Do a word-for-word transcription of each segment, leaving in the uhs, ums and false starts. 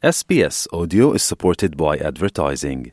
S B S Audio is supported by advertising.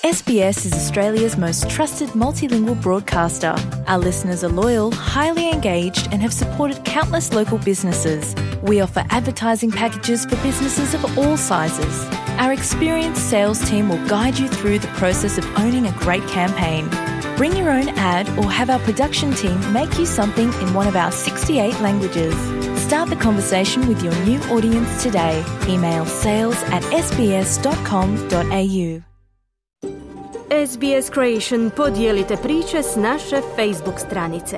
S B S is Australia's most trusted multilingual broadcaster. Our listeners are loyal, highly engaged, and have supported countless local businesses. We offer advertising packages for businesses of all sizes. Our experienced sales team will guide you through the process of owning a great campaign. Bring your own ad or have our production team make you something in one of our sixty-eight languages. Start the conversation with your new audience today. Email sales at s b s dot com dot a u. S B S Creation podijelite priče s naše Facebook stranice.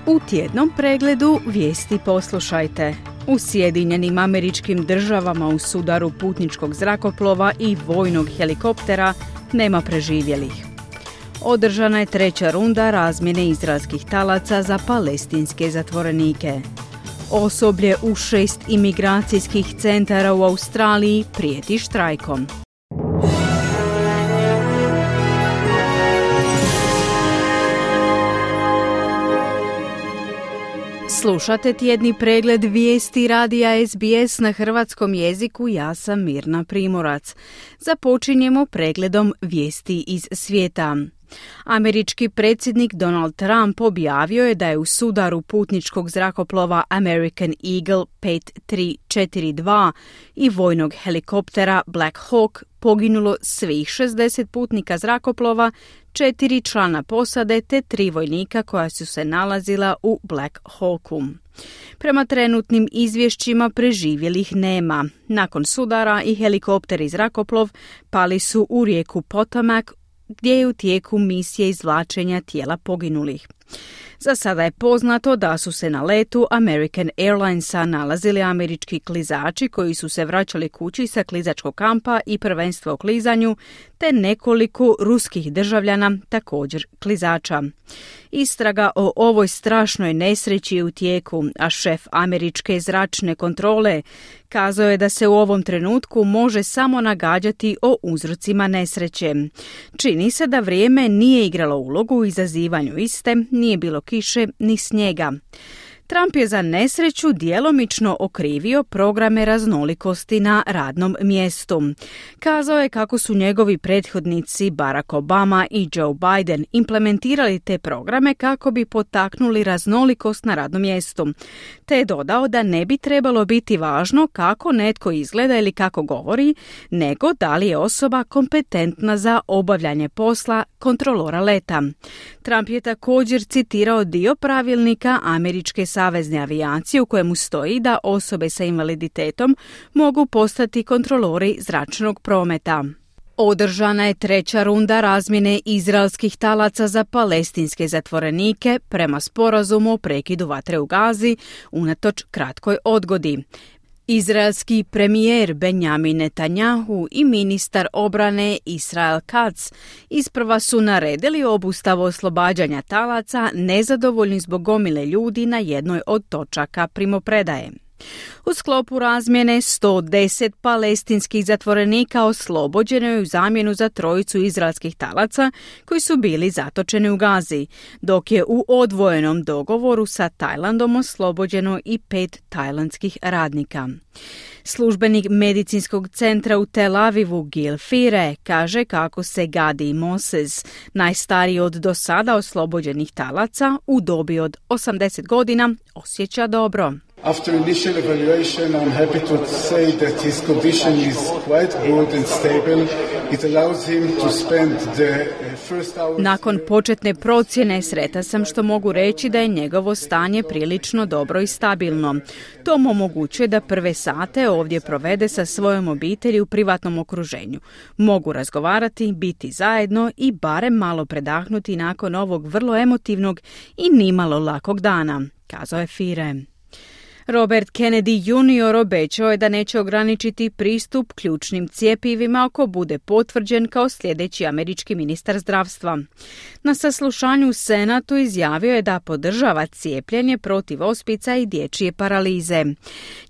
U tjednom pregledu vijesti poslušajte. U Sjedinjenim Američkim Državama u sudaru putničkog zrakoplova i vojnog helikoptera nema preživjelih. Održana je treća runda razmjene izraelskih talaca za palestinske zatvorenike. Osoblje u šest imigracijskih centara u Australiji prijeti štrajkom. Slušate tjedni pregled vijesti radija S B S na hrvatskom jeziku, ja sam Mirna Primorac. Započinjemo pregledom vijesti iz svijeta. Američki predsjednik Donald Trump objavio je da je u sudaru putničkog zrakoplova American Eagle pet tri četiri dva i vojnog helikoptera Black Hawk poginulo svih šezdeset putnika zrakoplova, četiri člana posade te tri vojnika koja su se nalazila u Black Hawku. Prema trenutnim izvješćima preživjelih nema. Nakon sudara i helikopter i zrakoplov pali su u rijeku Potomac, gdje je u tijeku misije izvlačenja tijela poginulih. Za sada je poznato da su se na letu American Airlinesa nalazili američki klizači koji su se vraćali kući sa klizačkog kampa i prvenstva u klizanju, te nekoliko ruskih državljana, također klizača. Istraga o ovoj strašnoj nesreći je u tijeku, a šef američke zračne kontrole kazao je da se u ovom trenutku može samo nagađati o uzrocima nesreće. Čini se da vrijeme nije igralo ulogu u izazivanju iste, nije bilo kiše ni snijega. Trump je za nesreću djelomično okrivio programe raznolikosti na radnom mjestu. Kazao je kako su njegovi prethodnici Barack Obama i Joe Biden implementirali te programe kako bi potaknuli raznolikost na radnom mjestu. Te je dodao da ne bi trebalo biti važno kako netko izgleda ili kako govori, nego da li je osoba kompetentna za obavljanje posla kontrolora leta. Trump je također citirao dio pravilnika američke savezne avijacije u kojemu stoji da osobe sa invaliditetom mogu postati kontrolori zračnog prometa. Održana je treća runda razmjene izraelskih talaca za palestinske zatvorenike prema sporazumu o prekidu vatre u Gazi unatoč kratkoj odgodi. Izraelski premijer Benjamin Netanjahu i ministar obrane Israel Katz isprva su naredili obustavu oslobađanja talaca nezadovoljni zbog gomile ljudi na jednoj od točaka primopredaje. U sklopu razmjene sto deset palestinskih zatvorenika oslobođeno je u zamjenu za trojicu izraelskih talaca koji su bili zatočeni u Gazi, dok je u odvojenom dogovoru sa Tajlandom oslobođeno i pet tajlandskih radnika. Službenik medicinskog centra u Tel Avivu Gil Fire kaže kako se Gadi Moses, najstariji od do sada oslobođenih talaca u dobi od osamdeset godina, osjeća dobro. After initial evaluation, I'm happy to say that his condition is quite good and stable. It allows him to spend the first hours... Nakon početne procjene sretan sam što mogu reći da je njegovo stanje prilično dobro i stabilno. To mu omogućuje da prve sate ovdje provede sa svojom obitelji u privatnom okruženju. Mogu razgovarati, biti zajedno i barem malo predahnuti nakon ovog vrlo emotivnog i nimalo lakog dana, kazao je Fire. Robert Kennedy junior obećao je da neće ograničiti pristup ključnim cjepivima ako bude potvrđen kao sljedeći američki ministar zdravstva. Na saslušanju u Senatu izjavio je da podržava cijepljenje protiv ospica i dječje paralize.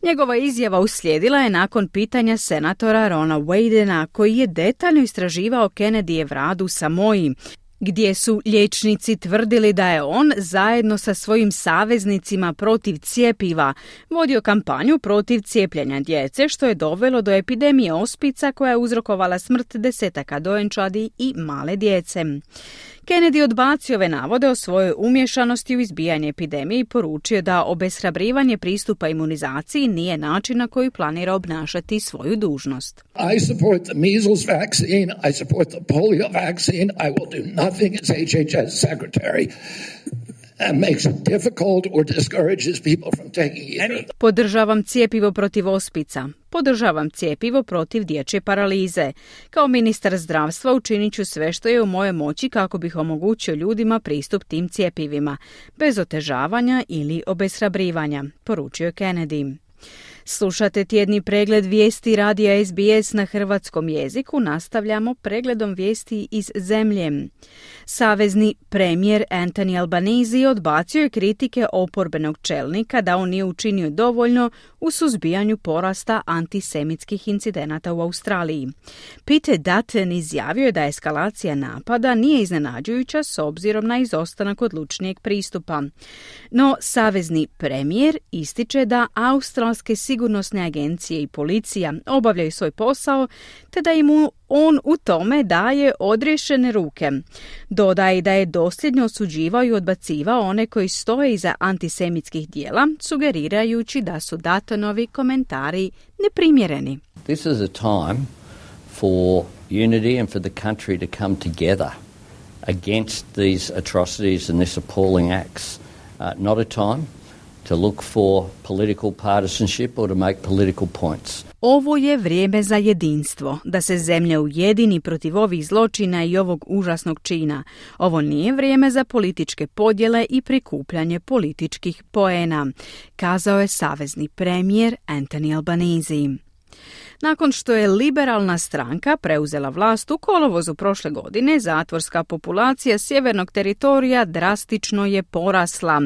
Njegova izjava uslijedila je nakon pitanja senatora Rona Wadena, koji je detaljno istraživao Kennedyjev rad u Samoji, gdje su liječnici tvrdili da je on zajedno sa svojim saveznicima protiv cjepiva vodio kampanju protiv cijepljenja djece, što je dovelo do epidemije ospica koja je uzrokovala smrt desetaka dojenčadi i male djece. Kennedy odbacio ove navode o svojoj umješanosti u izbijanje epidemije i poručio da obeshrabrivanje pristupa imunizaciji nije način na koji planira obnašati svoju dužnost. I support the measles vaccine, I support the polio vaccine, I will do nothing as H H S secretary that makes it difficult or discourages people from taking either. Podržavam cijepivo protiv ospica. Podržavam cijepivo protiv dječje paralize. Kao ministar zdravstva učinit ću sve što je u mojoj moći kako bih omogućio ljudima pristup tim cjepivima, bez otežavanja ili obeshrabrivanja, poručio je Kennedy. Slušate tjedni pregled vijesti radija S B S na hrvatskom jeziku. Nastavljamo pregledom vijesti iz zemlje. Savezni premijer Anthony Albanese odbacio je kritike oporbenog čelnika da on nije učinio dovoljno u suzbijanju porasta antisemitskih incidenata u Australiji. Peter Dutton izjavio je da eskalacija napada nije iznenađujuća s obzirom na izostanak odlučnijeg pristupa. No, savezni premijer ističe da australske sigurnosne agencije i policija obavljaju svoj posao, te da im on u tome daje odriješene ruke. Dodaje da je dosljedno osuđivao i odbacivao one koji stoje iza antisemitskih dijela, sugerirajući da su Duttonovi komentari neprimjereni. This is a time for unity and for the country to come together against these atrocities and these appalling acts. Uh, not a time to look for political partisanship or to make political points. Ovo je vrijeme za jedinstvo, da se zemlja ujedini protiv ovih zločina i ovog užasnog čina. Ovo nije vrijeme za političke podjele i prikupljanje političkih poena, kazao je savezni premijer Anthony Albanese. Nakon što je liberalna stranka preuzela vlast u kolovozu prošle godine, zatvorska populacija sjevernog teritorija drastično je porasla.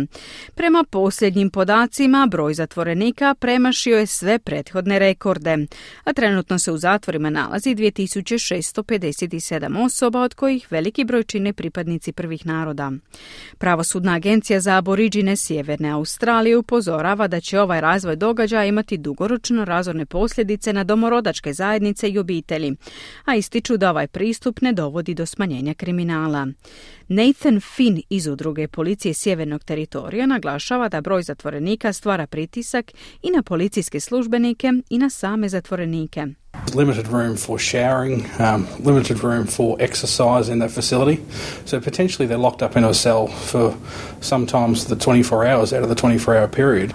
Prema posljednjim podacima, broj zatvorenika premašio je sve prethodne rekorde, a trenutno se u zatvorima nalazi dvije tisuće šesto pedeset sedam osoba, od kojih veliki broj čine pripadnici prvih naroda. Pravosudna agencija za aboriđine Sjeverne Australije upozorava da će ovaj razvoj događaja imati dugoročno razorne posljedice na domorodačke zajednice i obitelji, a ističu da ovaj pristup ne dovodi do smanjenja kriminala. Nathan Finn iz udruge policije sjevernog teritorija naglašava da broj zatvorenika stvara pritisak i na policijske službenike i na same zatvorenike. Limited room for showering, um, limited room for exercise in that facility. So potentially they're locked up in a cell for sometimes the twenty-four hours out of the twenty-four hour period.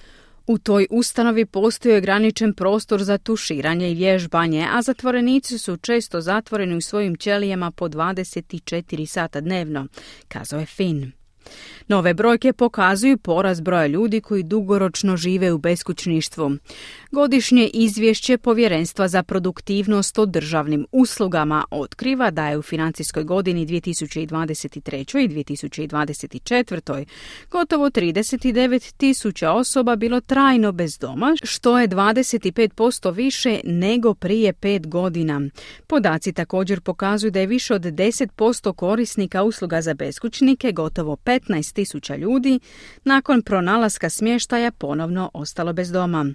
U toj ustanovi postoji ograničen prostor za tuširanje i vježbanje, a zatvorenici su često zatvoreni u svojim ćelijama po dvadeset četiri sata dnevno, kazao je Finn. Nove brojke pokazuju porast broja ljudi koji dugoročno žive u beskućništvu. Godišnje izvješće Povjerenstva za produktivnost o državnim uslugama otkriva da je u financijskoj godini dvije tisuće dvadeset treće i dvije tisuće dvadeset četvrte gotovo trideset devet tisuća osoba bilo trajno bez doma, što je dvadeset pet posto više nego prije pet godina. Podaci također pokazuju da je više od deset posto korisnika usluga za beskućnike, gotovo petnaest tisuća ljudi, nakon pronalaska smještaja ponovno ostalo bez doma.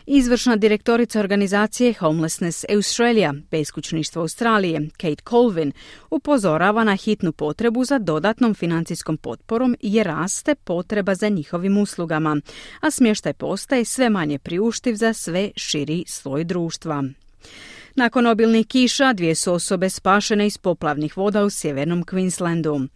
Izvršna direktorica organizacije Homelessness Australia, beskućništvo Australije, Kate Colvin, upozorava na hitnu potrebu za dodatnom financijskom potporom jer raste potreba za njihovim uslugama, a smještaj postaje sve manje priuštiv za sve širi sloj društva. Nakon obilnih kiša, dvije su osobe spašene iz poplavnih voda u sjevernom Queenslandu.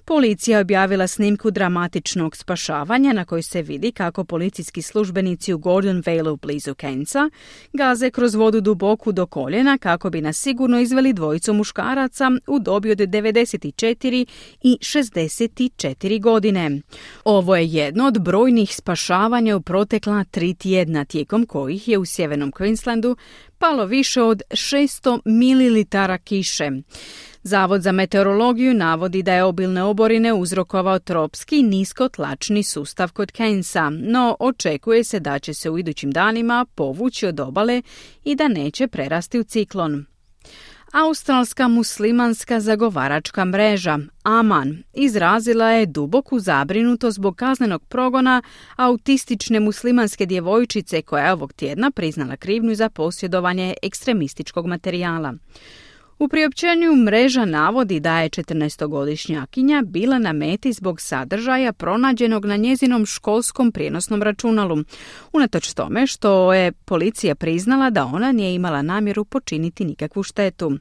Policija je objavila snimku dramatičnog spašavanja na kojoj se vidi kako policijski službenici u Gordon Valeu blizu Cairnsa gaze kroz vodu duboku do koljena kako bi nas sigurno izveli dvojicu muškaraca u dobi od devedeset četiri i šezdeset četiri godine. Ovo je jedno od brojnih spašavanja u protekla tri tjedna, tijekom kojih je u sjevernom Queenslandu palo više od šesto mililitara kiše. Zavod za meteorologiju navodi da je obilne oborine uzrokovao tropski niskotlačni sustav kod Cairnsa, no očekuje se da će se u idućim danima povući od obale i da neće prerasti u ciklon. Australska muslimanska zagovaračka mreža Aman izrazila je duboku zabrinutost zbog kaznenog progona autistične muslimanske djevojčice koja je ovog tjedna priznala krivnju za posjedovanje ekstremističkog materijala. U priopćenju mreža navodi da je četrnaestogodišnjakinja bila na meti zbog sadržaja pronađenog na njezinom školskom prijenosnom računalu, unatoč tome što je policija priznala da ona nije imala namjeru počiniti nikakvu štetu.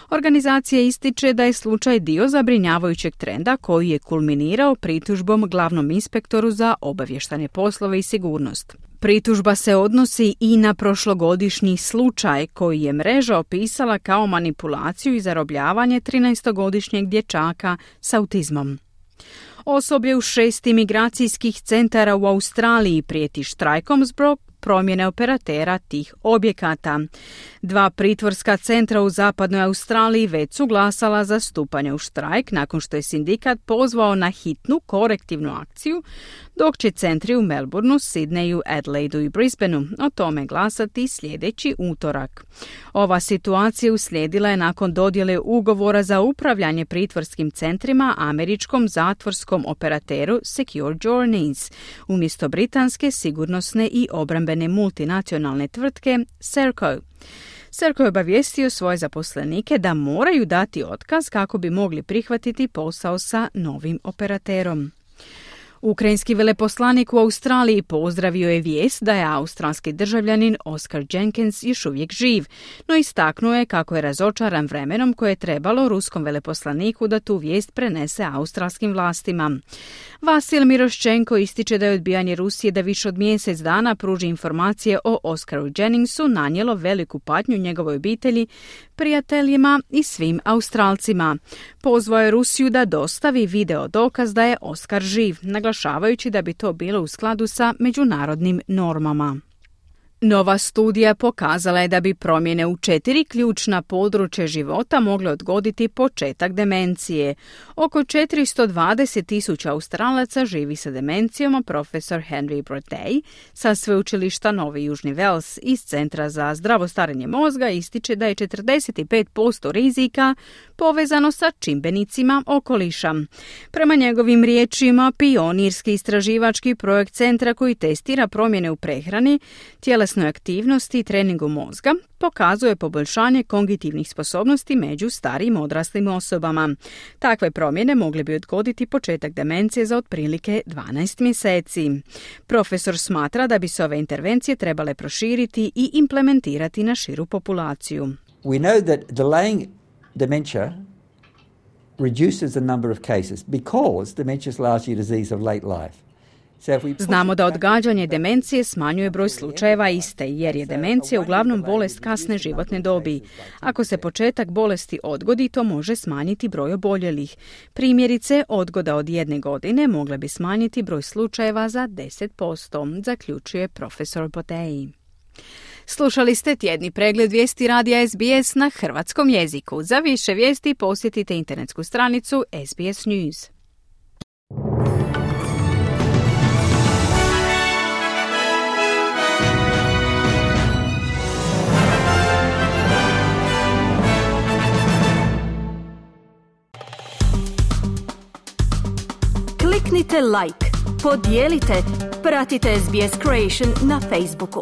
Organizacija ističe da je slučaj dio zabrinjavajućeg trenda koji je kulminirao pritužbom glavnom inspektoru za obavještajne poslove i sigurnost. Pritužba se odnosi i na prošlogodišnji slučaj koji je mreža opisala kao manipulaciju i zarobljavanje trinaestogodišnjeg dječaka s autizmom. Osoblje u šest imigracijskih centara u Australiji prijeti štrajkom zbog promjene operatera tih objekata. Dva pritvorska centra u zapadnoj Australiji već su glasala za stupanje u štrajk nakon što je sindikat pozvao na hitnu korektivnu akciju, dok će centri u Melbourneu, Sydneyu, Adelaidu i Brisbaneu o tome glasati sljedeći utorak. Ova situacija uslijedila je nakon dodjele ugovora za upravljanje pritvorskim centrima američkom zatvorskom operateru Secure Journeys, umjesto britanske sigurnosne i obrambene multinacionalne tvrtke Serco. Serco je obavijestio svoje zaposlenike da moraju dati otkaz kako bi mogli prihvatiti posao sa novim operaterom. Ukrajinski veleposlanik u Australiji pozdravio je vijest da je australski državljanin Oscar Jenkins još uvijek živ, no istaknuo je kako je razočaran vremenom koje je trebalo ruskom veleposlaniku da tu vijest prenese australskim vlastima. Vasil Miroščenko ističe da je odbijanje Rusije da više od mjesec dana pruži informacije o Oscaru Jenningsu nanijelo veliku patnju njegovoj obitelji, prijateljima i svim Australcima. Pozvao je Rusiju da dostavi video dokaz da je Oscar živ, naglašavajući da bi to bilo u skladu sa međunarodnim normama. Nova studija pokazala je da bi promjene u četiri ključna područja života mogle odgoditi početak demencije. Oko četiristo dvadeset tisuća Australaca živi sa demencijom, a profesor Henry Brodej sa sveučilišta Novi Južni Vels iz Centra za zdravo starenje mozga ističe da je četrdeset pet posto rizika povezano sa čimbenicima okoliša. Prema njegovim riječima, pionirski istraživački projekt centra koji testira promjene u prehrani, tjelesnoj aktivnosti i treningu mozga pokazuje poboljšanje kognitivnih sposobnosti među starijim odraslim osobama. Takve promjene mogle bi odgoditi početak demencije za otprilike dvanaest mjeseci. Profesor smatra da bi se ove intervencije trebale proširiti i implementirati na širu populaciju. We know that delaying dementia reduces the number of cases because dementia is largely a disease of late life. Znamo da odgađanje demencije smanjuje broj slučajeva iste, jer je demencija uglavnom bolest kasne životne dobi. Ako se početak bolesti odgodi, to može smanjiti broj oboljelih. Primjerice, odgoda od jedne godine mogla bi smanjiti broj slučajeva za deset posto, zaključuje profesor Botei. Slušali ste tjedni pregled vijesti radija S B S na hrvatskom jeziku. Za više vijesti posjetite internetsku stranicu S B S News. Kliknite like, podijelite, pratite S B S Creation na Facebooku.